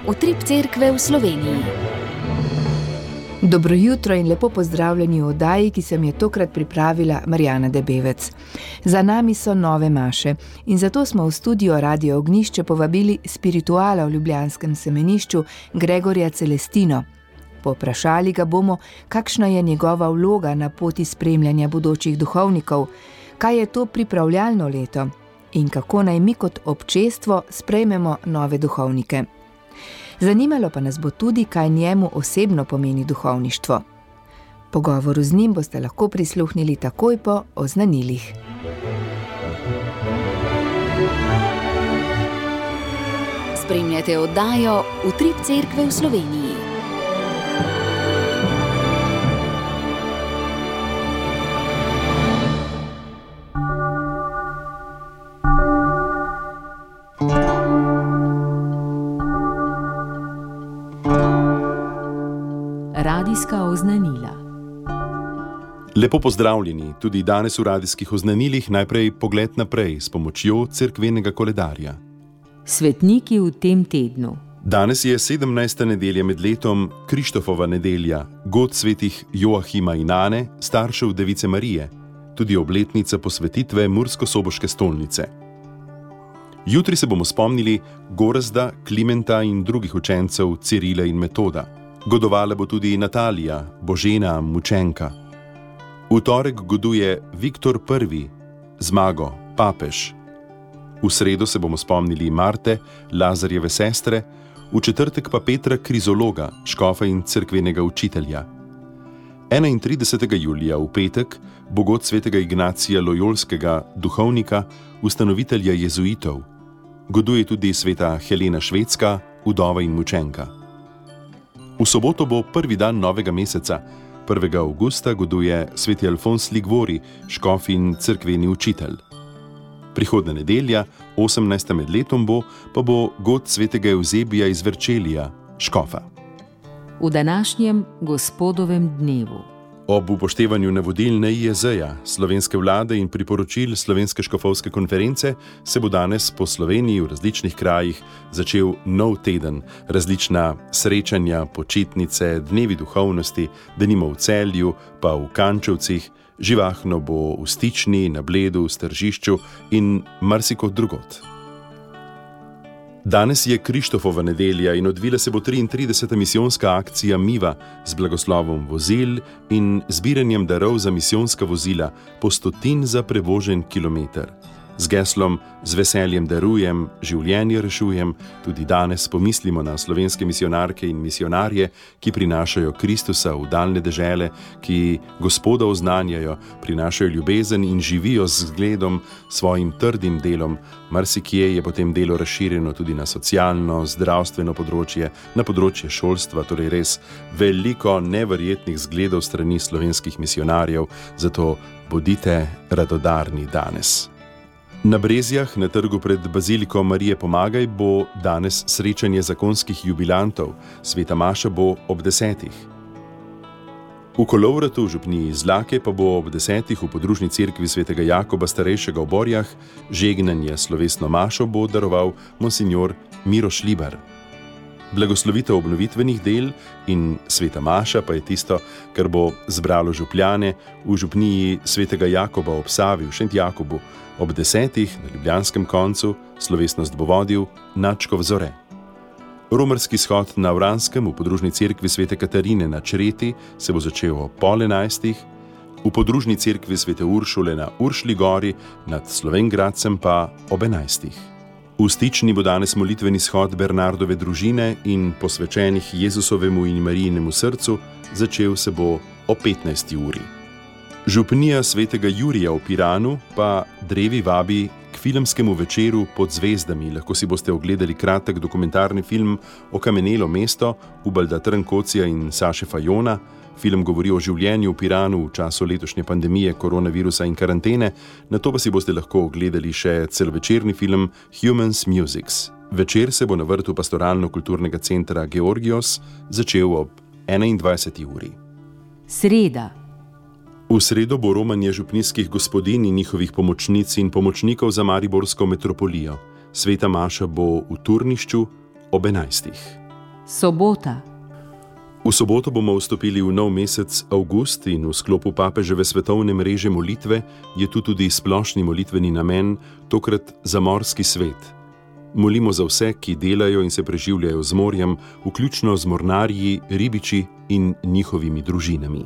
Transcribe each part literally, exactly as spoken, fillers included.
Utrip cerkve v Sloveniji. Dobro jutro in lepo pozdravljeni v oddaji, ki sem je tokrat pripravila Marjana Debevec. Za nami so nove maše in zato smo v studio Radio Ognjišče povabili spirituala v ljubljanskem semenišču Gregorja Celestino. Poprašali ga bomo, kakšna je njegova vloga na poti spremljanja bodočih duhovnikov, kaj je to pripravljalno leto in kako naj mi kot občestvo sprejmemo nove duhovnike. Zanimalo pa nas bo tudi, kaj njemu osebno pomeni duhovništvo. Pogovoru z njim boste lahko prisluhnili takoj po oznanilih. Spremljate oddajo Utrip cerkve v Sloveniji. Radijska oznanila. Lepo pozdravljeni, tudi danes v radijskih oznanilih najprej pogled naprej s pomočjo cerkvenega koledarja. Svetniki v tem tednu. Danes je sedemnajsta nedelja med letom, Krištofova nedelja, god svetih Joahima in Ane, staršev Device Marije, tudi obletnica posvetitve Mursko-Soboške stolnice. Jutri se bomo spomnili Gorazda, Klimenta in drugih učencev Cirila in Metoda. Godovala bo tudi Natalija, Božena, mučenka. V torek goduje Viktor Prvi, Zmago, papež. V sredo se bomo spomnili Marte, Lazarjeve sestre, v četrtek pa Petra Krizologa, škofa in cerkvenega učitelja. enaintridesetega julija v petek bo god svetega Ignacija Lojolskega, duhovnika, ustanovitelja jezuitov. Goduje tudi sveta Helena Švedska, vdova in mučenka. V soboto bo prvi dan novega meseca. prvega avgusta goduje sveti Alfons Ligvori, škof in cerkveni učitelj. Prihodnja nedelja, osemnajsta med letom bo, pa bo god svetega Evzebija iz Verčelija, škofa. V današnjem gospodovem dnevu. Ob upoštevanju navodil N I E Z-ja, slovenske vlade in priporočil Slovenske škofovske konference se bo danes po Sloveniji v različnih krajih začel nov teden, različna srečanja, počitnice, dnevi duhovnosti, denimo v Celju, pa v Kančevcih, živahno bo v Stični, na Bledu, v Stržišču in marsikod drugod. Danes je Krištofova nedelja in odvila se bo triintrideseta misijonska akcija Miva z blagoslovom vozil in zbiranjem darov za misijonska vozila po stotin za prevožen kilometer. Z geslom Z veseljem darujem, življenje rešujem, tudi danes pomislimo na slovenske misijonarke in misijonarje, ki prinašajo Kristusa v daljne dežele, ki Gospoda oznanjajo, prinašajo ljubezen in živijo z zgledom, svojim trdim delom. Marsikje je potem delo razširjeno tudi na socialno, zdravstveno področje, na področje šolstva, torej res veliko neverjetnih zgledov strani slovenskih misijonarjev, zato bodite radodarni danes. Na Brezjah, na trgu pred Baziliko Marije Pomagaj, bo danes srečanje zakonskih jubilantov. Sveta maša bo ob desetih. V Kolovratu v župniji Zlake pa bo ob desetih v podružni cerkvi svetega Jakoba starejšega v Borjah žegnanje slovesno mašo bo daroval monsinjor Miro Šlibar. Blagoslovitev obnovitvenih del in sveta maša pa je tisto, kar bo zbralo župljane v župniji svetega Jakoba ob Savi v Šentjakobu. Ob desetih na ljubljanskem koncu slovesnost bo vodil Načkov Zore. Romarski shod na Vranskem v podružni cerkvi svete Katarine na Čreti se bo začel ob pol enajstih, v podružni cerkvi svete Uršule na Uršli gori nad Slovengradcem pa ob enajstih. V Stični bo danes molitveni shod Bernardove družine in posvečenih Jezusovemu in Marijinemu srcu, začel se bo ob petnajsti uri. Župnija svetega Jurija v Piranu pa drevi vabi k filmskemu večeru Pod zvezdami. Lahko si boste ogledali kratek dokumentarni film Okamenelo mesto Ubalda Trnkocija in Saše Fajona. Film govori o življenju v Piranu v času letošnje pandemije, koronavirusa in karantene, nato pa si boste lahko ogledali še celovečerni film Humans Musics. Večer se bo na vrtu pastoralno-kulturnega centra Georgios začel ob enaindvajseti uri. Sreda. V sredo bo romanje župnijskih gospodinj in njihovih pomočnic in pomočnikov za mariborsko metropolijo. Sveta maša bo v Turnišču ob enajstih. Sobota. V soboto bomo vstopili v nov mesec avgust in v sklopu papeževe svetovne mreže molitve je tu tudi splošni molitveni namen, tokrat za morski svet. Molimo za vse, ki delajo in se preživljajo z morjem, vključno z mornarji, ribiči in njihovimi družinami.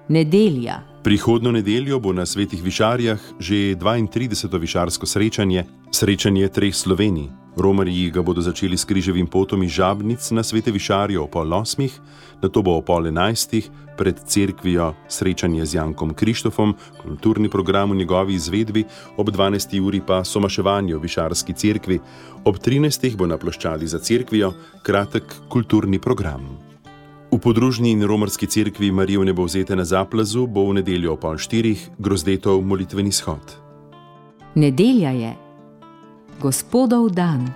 Nedelja. Prihodno nedeljo bo na Svetih Višarjah že dvaintrideseto višarsko srečanje, srečanje treh Slovenij. Romarji ga bodo začeli s križevim potom iz Žabnic na Svete Višarje o pol osmih, nato bo o pol enajstih pred cerkvijo srečanje z Jankom Krištofom, kulturni program v njegovi izvedbi, ob dvanajsti uri pa somaševanje v Višarski cerkvi, ob trinajstih bo na ploščadi za cerkvijo kratek kulturni program. V podružni in romarski cerkvi Marije Vnebovzete na Zaplazu bo v nedeljo o pol štirih Grozdetov molitveni shod. Nedelja je Gospodov dan.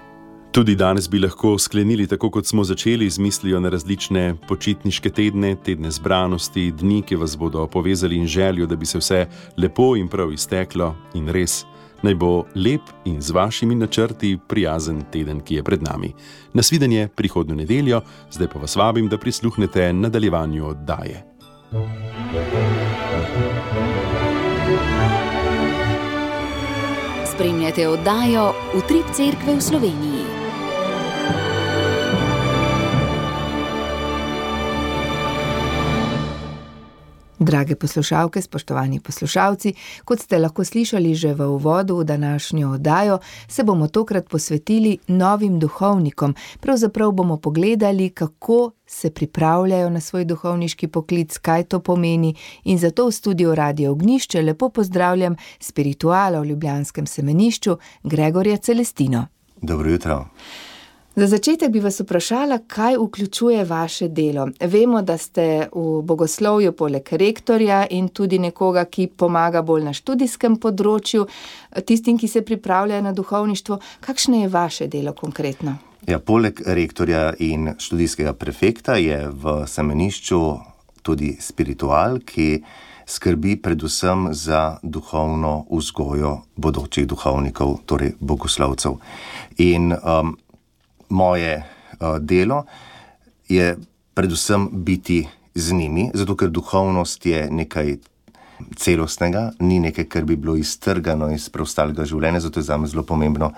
Tudi danes bi lahko sklenili tako, kot smo začeli, z mislijo na različne počitniške tedne, tedne zbranosti, dni, ki vas bodo povezali in željo, da bi se vse lepo in prav izteklo in res. Naj bo lep in z vašimi načrti prijazen teden, ki je pred nami. Nasvidenje prihodnjo nedeljo, zdaj pa vas vabim, da prisluhnete nadaljevanju oddaje. Spremljate oddajo Utrip Cerkve v Sloveniji. Drage poslušalke, spoštovani poslušalci, kot ste lahko slišali že v uvodu v današnjo oddajo, se bomo tokrat posvetili novim duhovnikom. Pravzaprav bomo pogledali, kako se pripravljajo na svoj duhovniški poklic, kaj to pomeni, in zato v studiu Radio Ognjišče lepo pozdravljam spirituala v ljubljanskem semenišču Gregorja Celestino. Dobro jutro. Za začetek bi vas vprašala, kaj vključuje vaše delo. Vemo, da ste v bogoslovju poleg rektorja in tudi nekoga, ki pomaga bolj na študijskem področju, tistim, ki se pripravljajo na duhovništvo. Kakšno je vaše delo konkretno? Ja, poleg rektorja in študijskega prefekta je v semenišču tudi spiritual, ki skrbi predvsem za duhovno vzgojo bodočih duhovnikov, torej bogoslovcev. In um, moje uh, delo je predvsem biti z njimi, zato ker duhovnost je nekaj celostnega, ni nekaj, kar bi bilo iztrgano iz preostalega življenja, zato je zame zelo pomembno,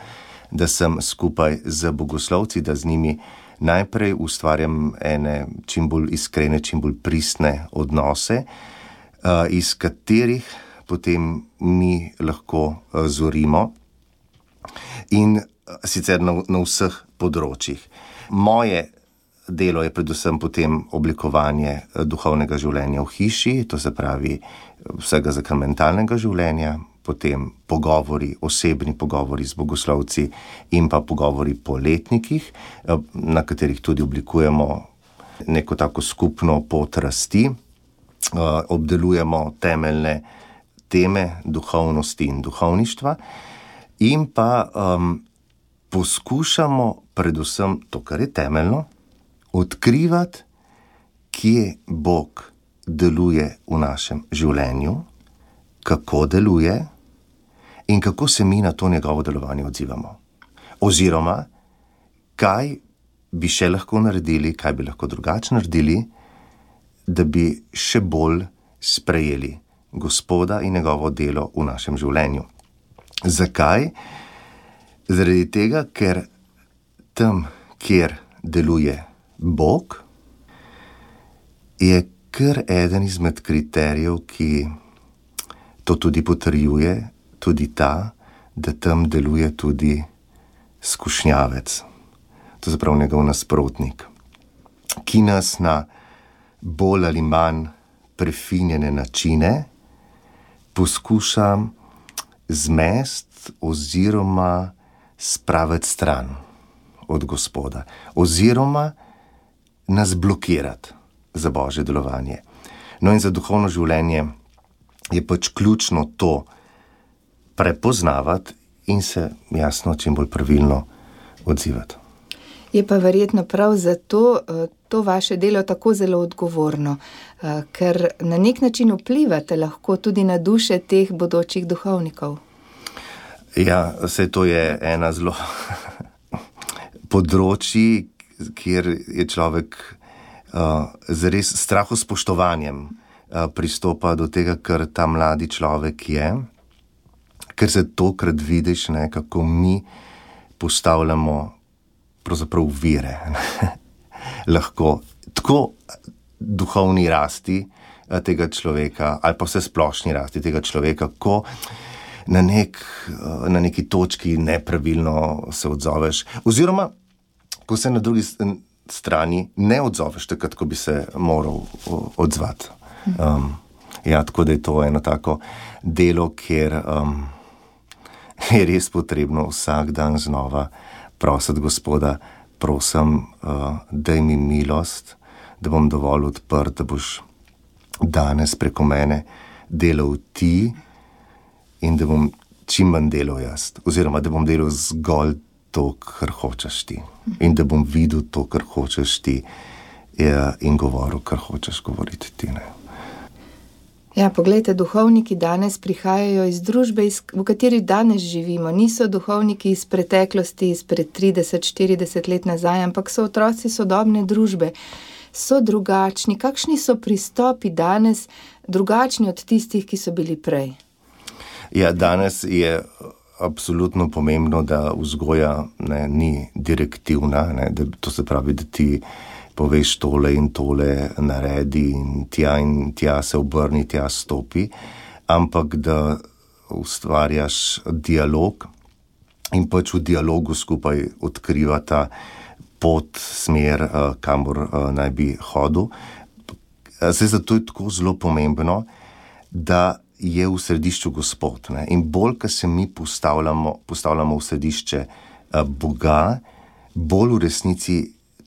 da sem skupaj z bogoslovci, da z njimi najprej ustvarjam ene čim bolj iskrene, čim bolj pristne odnose, uh, iz katerih potem mi lahko uh, zorimo in sicer na, na vseh področjih. Moje delo je predvsem potem oblikovanje duhovnega življenja v hiši, to se pravi vsega sakramentalnega življenja, potem pogovori, osebni pogovori z bogoslovci in pa pogovori po letnikih, na katerih tudi oblikujemo neko tako skupno pot rasti, obdelujemo temeljne teme duhovnosti in duhovništva in pa um, poskušamo predvsem to, kar je temeljno, odkrivati, kje Bog deluje v našem življenju, kako deluje in kako se mi na to njegovo delovanje odzivamo. Oziroma, kaj bi še lahko naredili, kaj bi lahko drugače naredili, da bi še bolj sprejeli Gospoda in njegovo delo v našem življenju. Zakaj? Zaradi tega, ker tam, kjer deluje Bog, je kar eden izmed kriterijev, ki to tudi potrjuje, tudi ta, da tam deluje tudi skušnjavec, to se pravi njegov nasprotnik, ki nas na bolj ali manj prefinjene načine poskuša zmest oziroma spraviti stran od Gospoda, oziroma nas blokirati za Božje delovanje. No in za duhovno življenje je pač ključno to prepoznavati in se jasno čim bolj pravilno odzivati. Je pa verjetno prav zato to vaše delo tako zelo odgovorno, ker na nek način vplivate lahko tudi na duše teh bodočih duhovnikov. Ja, vse to je ena zelo področji, kjer je človek uh, z res strahospoštovanjem uh, pristopa do tega, kar ta mladi človek je, ker se tokrat vidiš, ne, kako mi postavljamo pravzaprav vire. Lahko tako duhovni rasti tega človeka ali pa vse splošni rasti tega človeka, ko na, nek, na neki točki nepravilno se odzoveš, oziroma ko se na drugi strani ne odzoveš takrat, ko bi se moral odzvati. Um, ja, tako da je to eno tako delo, kjer um, je res potrebno vsak dan znova prositi Gospoda, prosim, uh, daj mi milost, da bom dovolj odprt, da boš danes preko mene delal ti in da bom čim manj delal jaz, oziroma da bom delal zgolj to, kar hočeš ti in da bom videl to, kar hočeš ti in govoril, kar hočeš govoriti ti. Ne? Ja, poglejte, duhovniki danes prihajajo iz družbe, v kateri danes živimo. Niso duhovniki iz preteklosti, izpred trideset, štirideset let nazaj, ampak so otroci sodobne družbe. So drugačni. Kakšni so pristopi danes drugačni od tistih, ki so bili prej? Ja, danes je absolutno pomembno, da vzgoja ne, ni direktivna, ne, da, to se pravi, da ti poveš tole in tole naredi in tja in tja se obrni, tja stopi, ampak da ustvarjaš dialog in pač v dialogu skupaj odkrivata pot, smer, kamor naj bi hodil. Zdaj, zato je tako zelo pomembno, da je v središču Gospod. Ne? In bolj, ko se mi postavljamo, postavljamo v središče Boga, bolj v resnici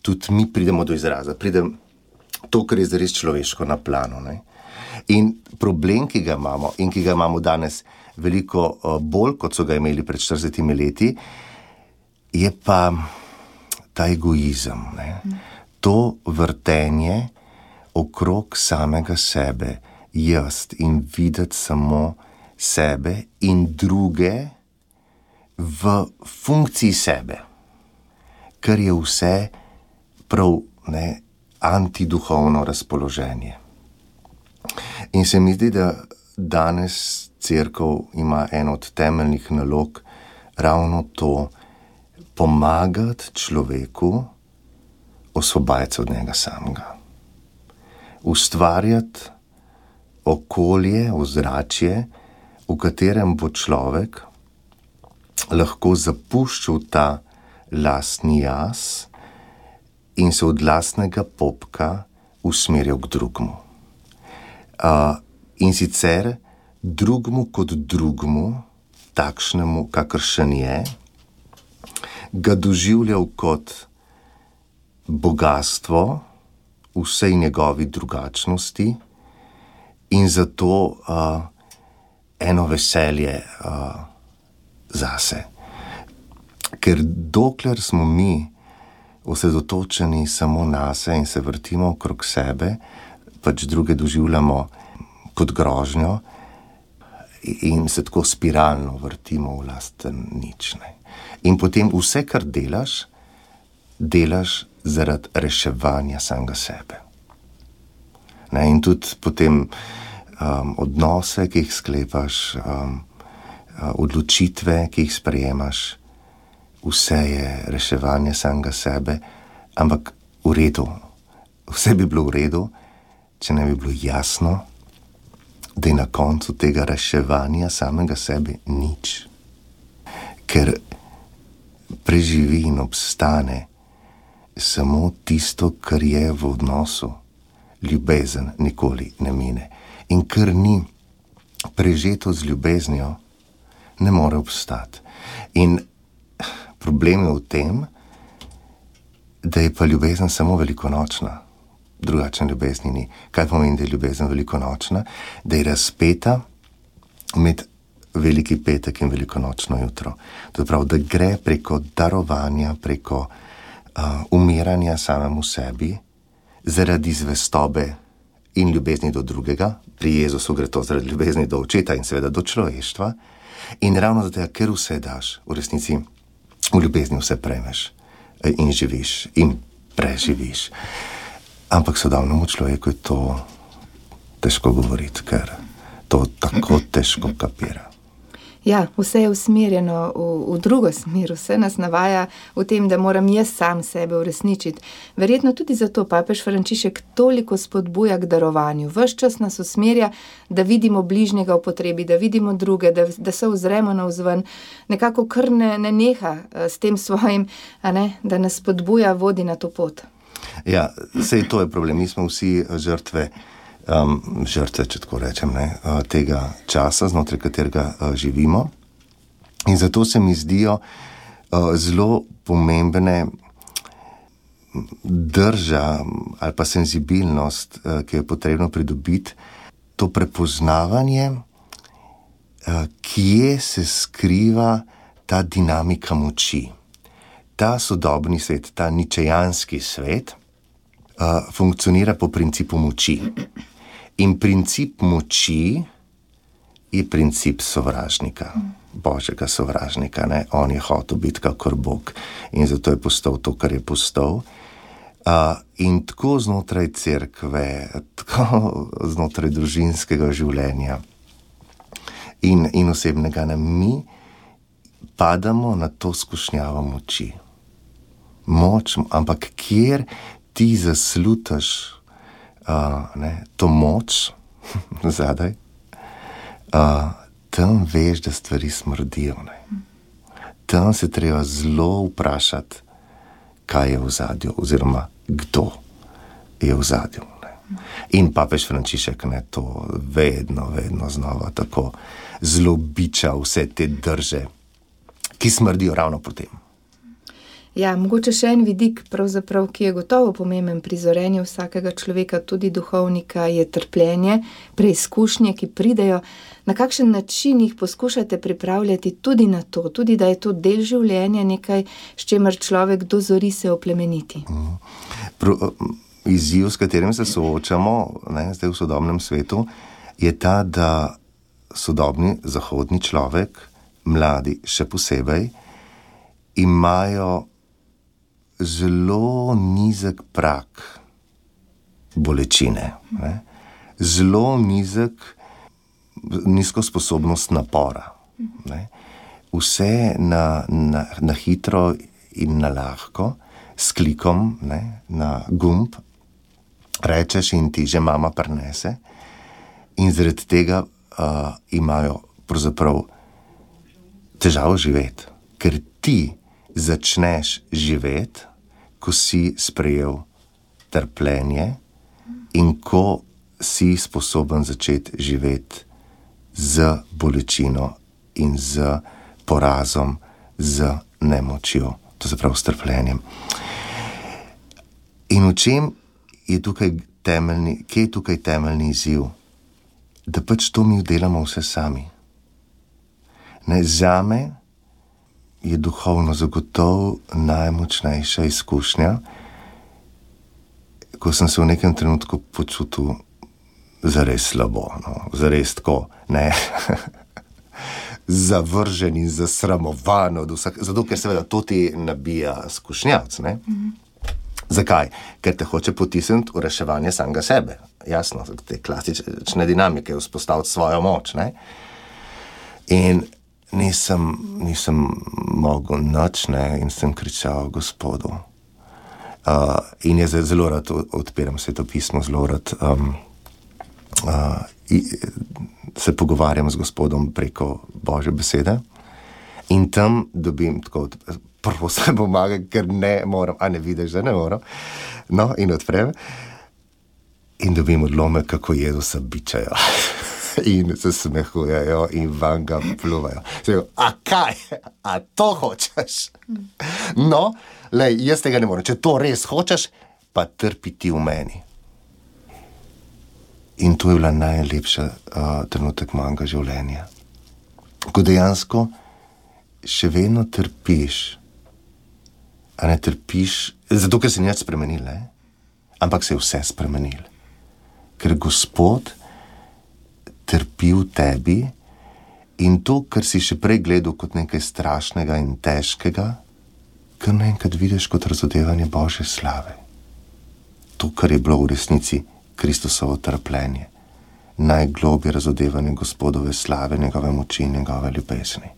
tudi mi pridemo do izraza. Pridem to, kar je zares človeško na planu. Ne? In problem, ki ga imamo in ki ga imamo danes veliko bolj, kot so ga imeli pred štiridesetimi leti, je pa ta egoizem, ne? To vrtenje okrog samega sebe, jaz in videti samo sebe in druge v funkciji sebe, kar je vse prav ne, antiduhovno razpoloženje. In se mi zdi, da danes cerkev ima eno od temeljnih nalog ravno to, pomagati človeku osvobajati se od njega samega. Ustvarjati okolje, ozračje, v katerem bo človek lahko zapuščal ta lastni jaz in se od lastnega popka usmerjal k drugmu. Uh, in sicer drugmu kot drugmu, takšnemu, kakršen je, ga doživljal kot bogatstvo vsej njegovi drugačnosti in zato uh, eno veselje uh, zase. Ker dokler smo mi osredotočeni samo nase in se vrtimo okrog sebe, pač druge doživljamo kot grožnjo in se tako spiralno vrtimo v lasten nič. Ne. In potem vse, kar delaš, delaš zaradi reševanja samega sebe. Ne, in tudi potem um, odnose, ki jih sklepaš, um, odločitve, ki jih sprejemaš, vse je reševanje samega sebe, ampak v redu. Vse bi bilo v redu, če ne bi bilo jasno, da je na koncu tega reševanja samega sebe nič. Ker preživi in obstane samo tisto, kar je v odnosu. Ljubezen nikoli ne mine. In kar ni prežeto z ljubeznijo, ne more obstati. In problem je v tem, da je pa ljubezen samo velikonočna. Drugačne ljubezni ni. Kaj pomeni, da je ljubezen velikonočna? Da je razpeta med veliki petek in velikonočno jutro. To je prav, da gre preko darovanja, preko uh, umiranja samemu sebi, zaradi zvestobe in ljubezni do drugega. Pri Jezusu gre to zaradi ljubezni do očeta in seveda do človeštva. In ravno zato, ker vse daš, v resnici v ljubezni vse prejmeš in živiš. In preživiš. Ampak sodobnemu človeku je to težko govoriti, ker to tako težko kapira. Ja, vse je usmerjeno v, v drugo smer, vse nas navaja v tem, da moram jaz sam sebe uresničiti. Verjetno tudi zato papež Frančišek toliko spodbuja k darovanju. Ves čas nas usmerja, da vidimo bližnjega v potrebi, da vidimo druge, da, da se ozremo navzven. Nekako kar ne, ne neha s tem svojim, a ne, da nas spodbuja, vodi na to pot. Ja, sej to je problem. Mi smo vsi žrtve Um, žrtve, če tako rečem, ne, tega časa, znotraj katerega uh, živimo. In zato se mi zdijo uh, zelo pomembne drža ali pa senzibilnost, uh, ki je potrebno pridobiti, to prepoznavanje, uh, kje se skriva ta dinamika moči. Ta sodobni svet, ta ničejanski svet, uh, funkcionira po principu moči. In princip moči je princip sovražnika, božjega sovražnika. Ne? On je hotel biti kakor Bog in zato je postal to, kar je postal. Uh, in tako znotraj cerkve, tako znotraj družinskega življenja in, in osebnega, ne? Mi padamo na to skušnjavo moči. Moč, ampak kjer ti zaslutaš Uh, ne, to moč zadaj, uh, tam veš, da stvari smrdijo. Ne. Tam se treba zelo vprašati, kaj je v zadju, oziroma kdo je v zadju. Ne. In papež Frančišek ne, to vedno, vedno znova tako zelo biča vse te drže, ki smrdijo ravno po tem. Ja, mogoče še en vidik, pravzaprav, ki je gotovo pomemben pri zorenju vsakega človeka, tudi duhovnika, je trpljenje, preizkušnje, ki pridejo. Na kakšen način jih poskušate pripravljati tudi na to, tudi da je to del življenja, nekaj, s čemer človek dozori se oplemeniti? Mm. Pro, izziv, s katerim se soočamo, ne, zdaj v sodobnem svetu, je ta, da sodobni zahodni človek, mladi še posebej, imajo zelo nizek prak bolečine, ne? Zelo nizek, nizko sposobnost napora. Ne? Vse na, na, na hitro in na lahko, s klikom, ne? Na gumb, rečeš in ti že mama prinese, in zaradi tega uh, imajo pravzaprav težavo živeti, ker ti začneš živeti, ko si sprejel trpljenje in ko si sposoben začeti živeti z bolečino in z porazom, z nemočjo, to se pravi s trpljenjem. In v čem je tukaj temeljni, kje je tukaj temeljni izziv? Da pač to mi delamo vse sami. Ne, zame je duhovno zagotovo najmočnejša izkušnja, ko sem se v nekem trenutku počutil zares slabo, no, zares tako, ne, zavržen in zasramovan od vsak, zato ker seveda to ti nabija skušnjavc, ne. Mm-hmm. Zakaj? Ker te hoče potisniti v reševanje samega sebe. Jasno, te klasične dinamike, vzpostaviti svojo moč, ne. In Nisem, nisem mogel nič, ne, in sem kričal Gospodu. Uh, in jaz zelo rad odpiram svetopismo, zelo rad um, uh, se pogovarjam z Gospodom preko Božje besede. In tam dobim tako, prvo se pomaga, ker ne moram, a ne vidiš, da ne moram. No, in odprem. In dobim odlomek, kako Jezusa bičajo. In se smehujejo in van ga pluvajo. Sej, a kaj? A to hočeš? No, lej, jaz tega ne morem. Če to res hočeš, pa trpi ti v meni. In to je bila najlepša uh, trenutek mojega življenja. Ko dejansko še vedno trpiš. A ne trpiš, zato ker se nič spremenil, ne? Ampak se je vse spremenil. Ker Gospod trpi v tebi in to, kar si še prej gledal kot nekaj strašnega in težkega, kar naenkrat vidiš kot razodevanje Božje slave. to, kar je bilo v resnici Kristusovo trpljenje, najglobje razodevanje Gospodove slave, njegove moči in njegove ljubezni.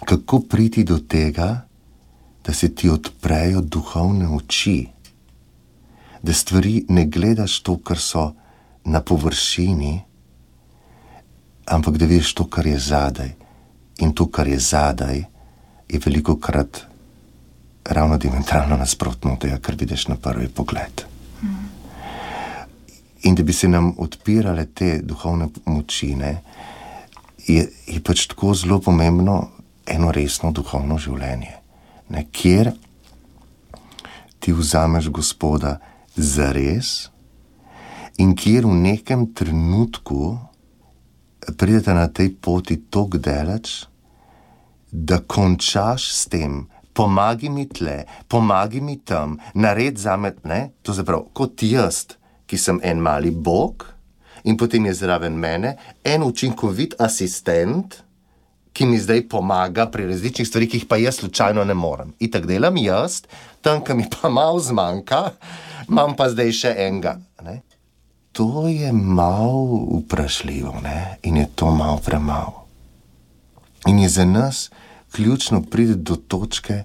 Kako priti do tega, da se ti odprejo duhovne oči, da stvari ne gledaš to, kar so na površini, ampak da vidiš to, kar je zadaj. In to, kar je zadaj, je veliko krat ravno diametralno nasprotno od tega, kar vidiš na prvi pogled. Mm. In da bi se nam odpirale te duhovne moči, ne, je, je pač tako zelo pomembno eno resno duhovno življenje, ne, kjer ti vzameš Gospoda zares in kjer v nekem trenutku pridete na tej poti toliko daleč, da končaš s tem, pomagi mi tle, pomagi mi tam, nared zame, ne, to zaprav, kot jaz, ki sem en mali Bog in potem je zraven mene en učinkovit asistent, ki mi zdaj pomaga pri različnih stvarih, ki jih pa jaz slučajno ne morem. Itak delam jaz, tam, ki mi pa malo zmanjka, imam pa zdaj še enega. Ne? To je malo vprašljivo, ne? In je to malo premalo. In je za nas ključno priti do točke,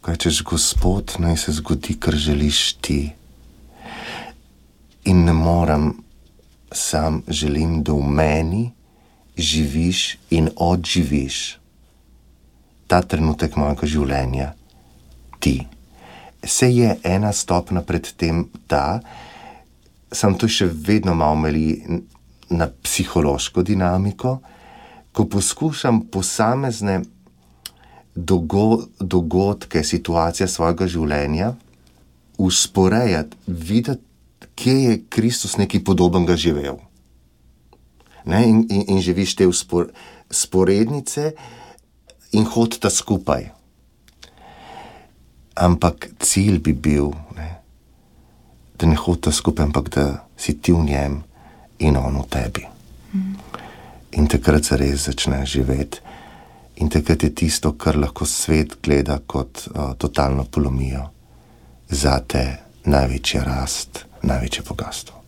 ko rečeš, Gospod, naj se zgodi, kar želiš ti. In ne morem, sam želim, da v meni živiš in odživiš ta trenutek mojega življenja ti. Se je ena stopna pred tem ta, sem to še vedno malo meli na psihološko dinamiko, ko poskušam posamezne dogo, dogodke, situacije svojega življenja usporejati, videti, kje je Kristus nekaj podobnega živel. Ne, in, in, in živiš te uspor, sporednice in hodita skupaj. Ampak cilj bi bil, ne, da ne hodita skupaj, ampak da si ti v njem in on v tebi. Mm. In takrat se res začne živeti. In takrat je tisto, kar lahko svet gleda kot uh, totalno polomijo, zate največja rast, največje bogastvo.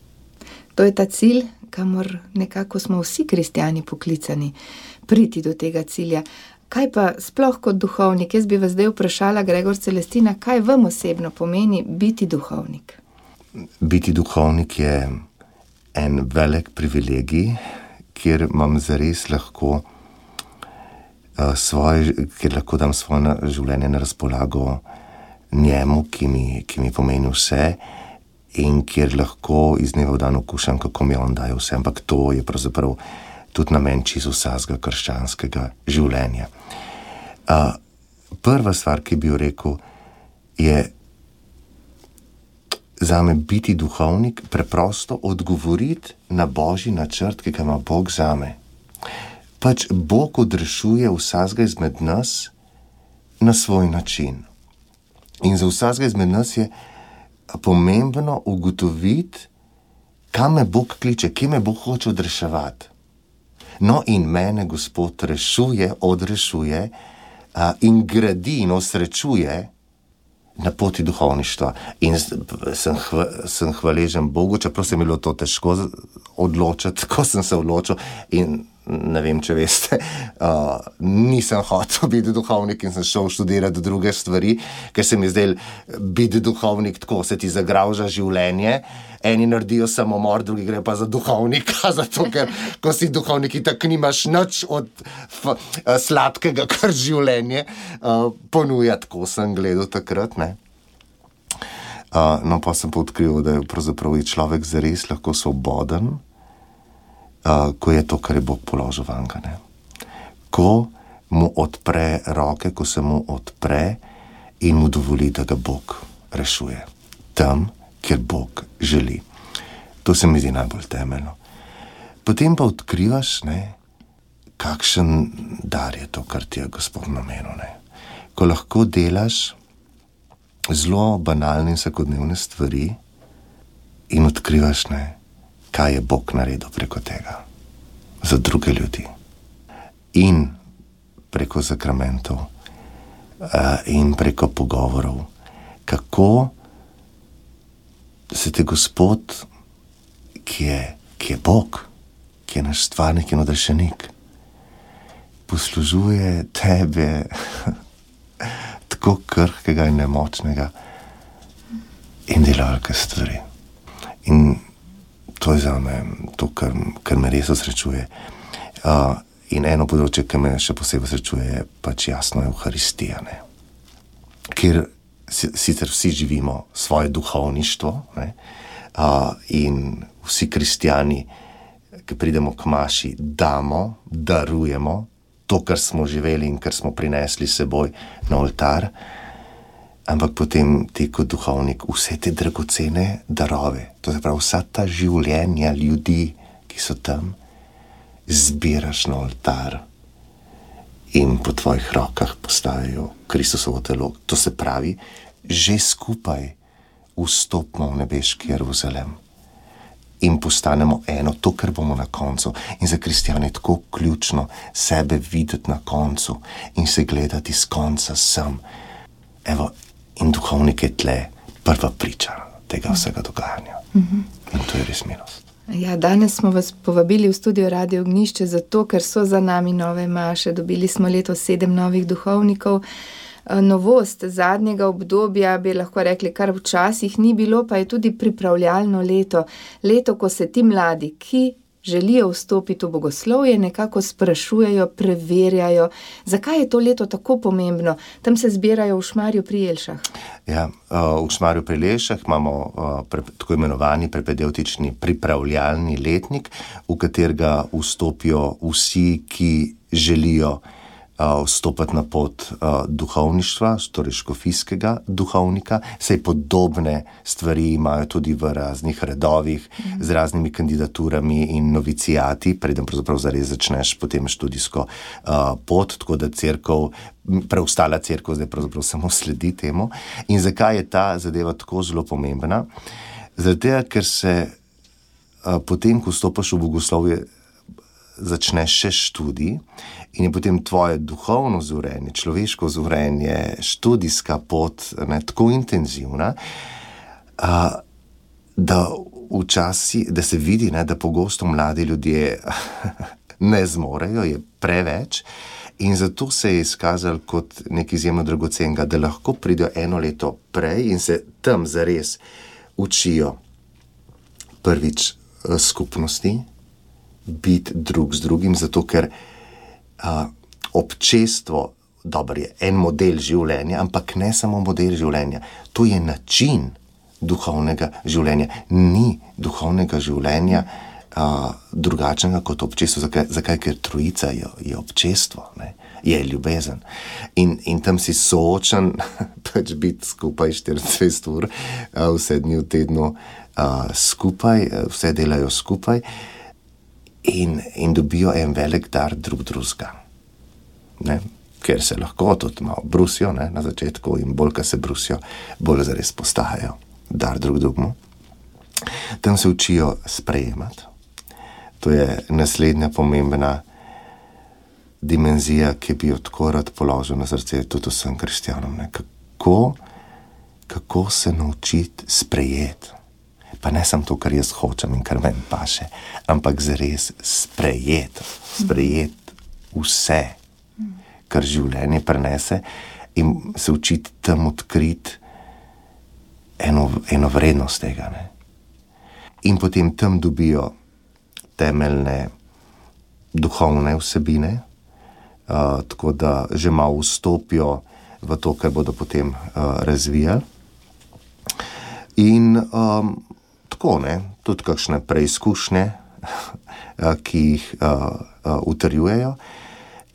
To je ta cilj, kamor nekako smo vsi kristjani poklicani, priti do tega cilja. Kaj pa sploh kot duhovnik? Jaz bi vas zdaj vprašala, Gregor Celestina, kaj vam osebno pomeni biti duhovnik? Biti duhovnik je en velik privilegij, kjer imam zares lahko uh, svoje, kjer lahko dam svoje življenje na razpolago njemu, ki mi, ki mi pomeni vse, in kjer lahko iz dneva v dan okušam, kako mi on daje vse, ampak to je pravzaprav tudi namen čisto vsakega krščanskega življenja. Uh, prva stvar, ki bi jo rekel, je zame biti duhovnik, preprosto odgovoriti na Božji načrt, ki ga ima Bog zame. Pač Bog odrešuje vsakega izmed nas na svoj način. In za vsakega izmed nas je pomembno ugotoviti, kam me Bog kliče, kje me Bog hoče odreševati. No, in mene Gospod rešuje, odrešuje a, in gradi in osrečuje na poti duhovništva. In sem, hva, sem hvaležen Bogu, čeprav se mi bilo to težko odločiti, ko sem se odločil in ne vem, če veste, uh, nisem hotel biti duhovnik in sem šel študirati druge stvari, ker se mi zdaj biti duhovnik tako, se ti zagravža življenje, eni naredijo samomor, drugi gre pa za duhovnika, zato ker ko si duhovnik, tako nimaš nič od f, uh, sladkega, kar življenje uh, ponuja, tako sem gledal takrat, ne. Uh, no, pa sem pa odkril, da je pravzaprav človek zares lahko svoboden, Uh, ko je to, kar je Bog položil vanka, ne. Ko mu odpre roke, ko se mu odpre in mu dovoli, da ga Bog rešuje. Tam, kjer Bog želi. To se mi zdi najbolj temeljno. Potem pa odkrivaš, ne, kakšen dar je to, kar ti je Gospod namenil, ne. Ko lahko delaš zelo banalne in vsakodnevne stvari in odkrivaš, ne, kaj je Bog naredil preko tega za druge ljudi in preko sakramentov uh, in preko pogovorov, kako se te Gospod, ki je, ki je Bog, ki je naš stvarnik in odrešenik, poslužuje tebe tako krhkega in nemočnega in dela velike stvari. In to je za me to, kar, kar me res osrečuje. Uh, in eno področje, ki me še posebej osrečuje, je pač jasno Evharistija, ne? Kjer sicer vsi živimo svoje duhovništvo, ne? Uh, in vsi kristjani, ki pridemo k maši, damo, darujemo to, kar smo živeli in kar smo prinesli seboj na oltar, ampak potem ti kot duhovnik vse te dragocene darove, to se pravi vsa ta življenja ljudi, ki so tam, zbiraš na oltar in po tvojih rokah postavijo Kristusovo telo. To se pravi, že skupaj vstopimo v nebeški Jeruzalem in postanemo eno, to, kar bomo na koncu. In za kristjane je tako ključno sebe videti na koncu in se gledati z konca sem. Evo, in duhovnik je tle prva priča tega vsega dogajanja. Mm-hmm. In to je res milost. Ja, danes smo vas povabili v studio Radio Ognjišče zato, ker so za nami nove maše. Dobili smo letos sedem novih duhovnikov. Novost zadnjega obdobja, bi lahko rekli, kar včasih ni bilo, pa je tudi pripravljalno leto. Leto, ko se ti mladi, ki želijo vstopiti v bogoslovje, nekako sprašujejo, preverjajo, zakaj je to leto tako pomembno. Tam se zbirajo v Šmarju pri Jelšah. Ja, v Šmarju pri Jelšah imamo tako imenovani prepedevtični pripravljalni letnik, v katerega vstopijo vsi, ki želijo vstopati na pot duhovništva, torej škofijskega duhovnika. Sej podobne stvari imajo tudi v raznih redovih, mm. z raznimi kandidaturami in novicijati, preden pravzaprav zares začneš potem študijsko uh, pot, tako da cerkev, preostala cerkev zdaj pravzaprav samo sledi temu. In zakaj je ta zadeva tako zelo pomembna? Zaradi tega, ker se uh, potem, ko vstopaš v bogoslovje, začneš še študij in je potem tvoje duhovno zorenje, človeško zorenje, študijska pot, ne, tako intenzivna, a, da včasih, da se vidi, ne, da pogosto mladi ljudje ne zmorejo, je preveč in zato se je izkazalo kot nekaj izjemno dragocenega, da lahko pridejo eno leto prej in se tam zares učijo prvič skupnosti, biti drug z drugim, zato ker a, občestvo, dobro je, en model življenja, ampak ne samo model življenja, to je način duhovnega življenja. Ni duhovnega življenja a, drugačnega kot občestvo. Zakaj? Zakaj? Ker trojica je, je občestvo, ne? Je ljubezen. In, in tam si soočen pač biti skupaj štiriindvajset ur, a, vse dni v tednu a, skupaj, vse delajo skupaj. In, in dobijo en velik dar drug drugega. Ne? Ker se lahko tudi malo brusijo, ne? Na začetku in bolj, ko se brusijo, bolj zares postajajo dar drug drugemu. Tam se učijo sprejemati. To je naslednja pomembna dimenzija, ki bi jo tako rad položil na srce tudi vsem kristjanom. Ne? Kako, kako se naučiti sprejeti? Pa ne samo to, kar jaz hočem in kar meni paše, ampak zares sprejeti, sprejeti vse, kar življenje prenese in se učiti tam odkriti eno, eno vrednost tega. Ne? In potem tam dobijo temeljne duhovne vsebine, uh, tako da že malo vstopijo v to, kar bodo potem uh, razvijali. In um, tako, ne, tudi kakšne preizkušnje, ki jih uh, uh, utrjujejo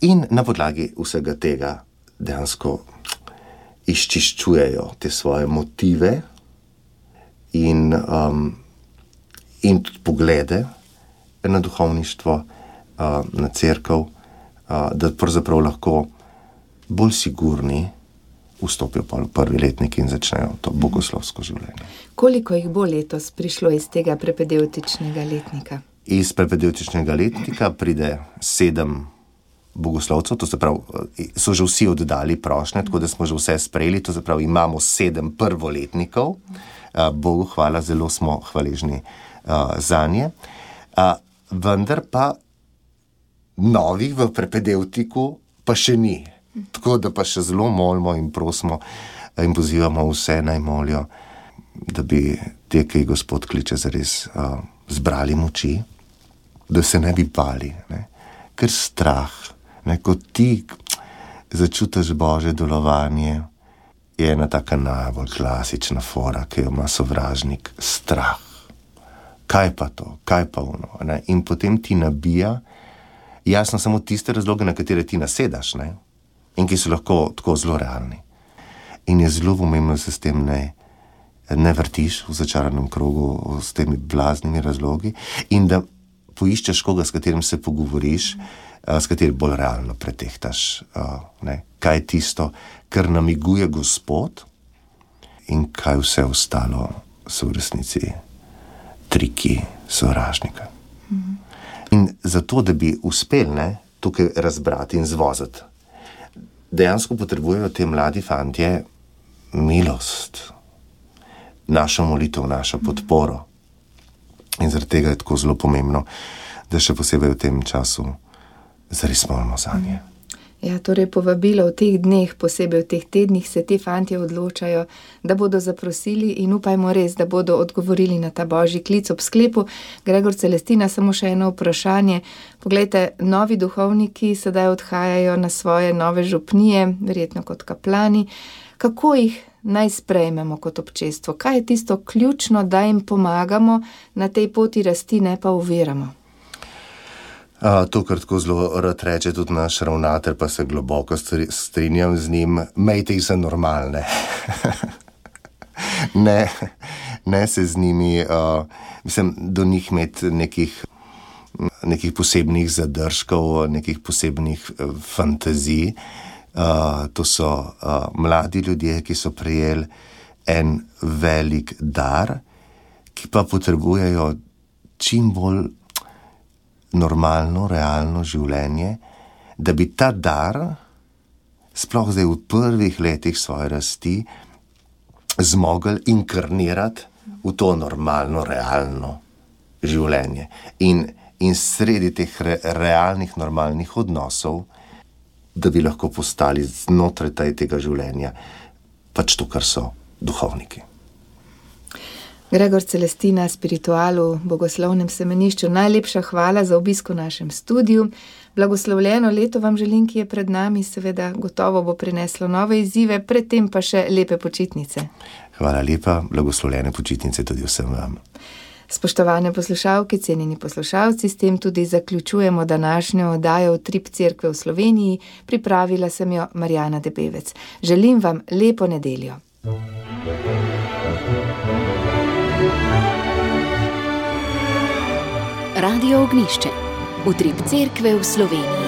in na podlagi vsega tega dejansko izčiščujejo te svoje motive in, um, in tudi poglede na duhovništvo, uh, na cerkev, uh, da pravzaprav lahko bolj sigurni vstopijo pa v prvi letnik in začnejo to bogoslovsko življenje. Koliko jih bo letos prišlo iz tega prepedevtičnega letnika? Iz prepedevtičnega letnika pride sedem bogoslovcev, to se pravi, so že vsi oddali prošnje, tako da smo že vse sprejeli, to se pravi, imamo sedem prvoletnikov, Bogu hvala, zelo smo hvaležni za nje. Vendar pa novih v prepedevtiku pa še ni. Tako da pa še zelo molimo in prosimo in pozivamo vse naj molijo, da bi te, ki Gospod kliče, zares uh, zbrali moči, da se ne bi bali, ne? Ker strah, ne? Ko ti začutiš Božje delovanje, je ena taka najbolj klasična fora, ki jo ima sovražnik, strah. Kaj pa to, kaj pa ono, ne? In potem ti nabija jasno samo tiste razloge, na katere ti nasedaš, ne? In ki so lahko tako zelo realni. In je zelo pomembno, da se s tem ne, ne vrtiš v začaranem krogu s temi blaznimi razlogi in da poiščeš koga, s katerim se pogovoriš, s katerim bolj realno pretehtaš, ne, kaj je tisto, kar namiguje Gospod in kaj vse ostalo so v resnici triki sovražnika. Mhm. In zato, da bi uspel, ne, tukaj razbrati in zvozati, dejansko potrebujejo te mladi fantje milost, našo molitev, našo podporo. In zaradi tega je tako zelo pomembno, da še posebej v tem času zares molimo zanje. Ja, torej povabilo v teh dneh, posebej v teh tednih, se ti fantje odločajo, da bodo zaprosili in upajmo res, da bodo odgovorili na ta Božji klic ob sklepu. Gregor, Celestina, samo še eno vprašanje. Poglejte, novi duhovniki sedaj odhajajo na svoje nove župnije, verjetno kot kaplani. Kako jih naj sprejmemo kot občestvo? Kaj je tisto ključno, da jim pomagamo na tej poti rasti, ne pa oviramo? A, to, kar tako zelo rad reče tudi naš ravnatelj, pa se globoko strinjam z njim, mejte jih za normalne. ne, ne se z njimi, uh, mislim, do njih imeti nekih, nekih posebnih zadržkov, nekih posebnih uh, fantazij. Uh, to so uh, mladi ljudje, ki so prejeli en velik dar, ki pa potrebujejo čim bolj normalno, realno življenje, da bi ta dar, sploh zdaj v prvih letih svoje rasti, zmogli inkarnirati v to normalno, realno življenje. In, in sredi teh re, realnih, normalnih odnosov, da bi lahko postali znotraj tega življenja pač to, kar so duhovniki. Gregor, Celestina, spiritualu, bogoslovnem semenišču, najlepša hvala za obisk v našem studiu. Blagoslovljeno leto vam želim, ki je pred nami, seveda gotovo bo prineslo nove izzive, predtem pa še lepe počitnice. Hvala lepa, blagoslovljene počitnice tudi vsem vam. Spoštovane poslušalke, cenjeni poslušalci, s tem tudi zaključujemo današnjo oddajo Utrip Cerkve v Sloveniji. Pripravila sem jo Marjana Debevec. Želim vam lepo nedeljo. Radio Ognjišče. Utrip Cerkve v Sloveniji.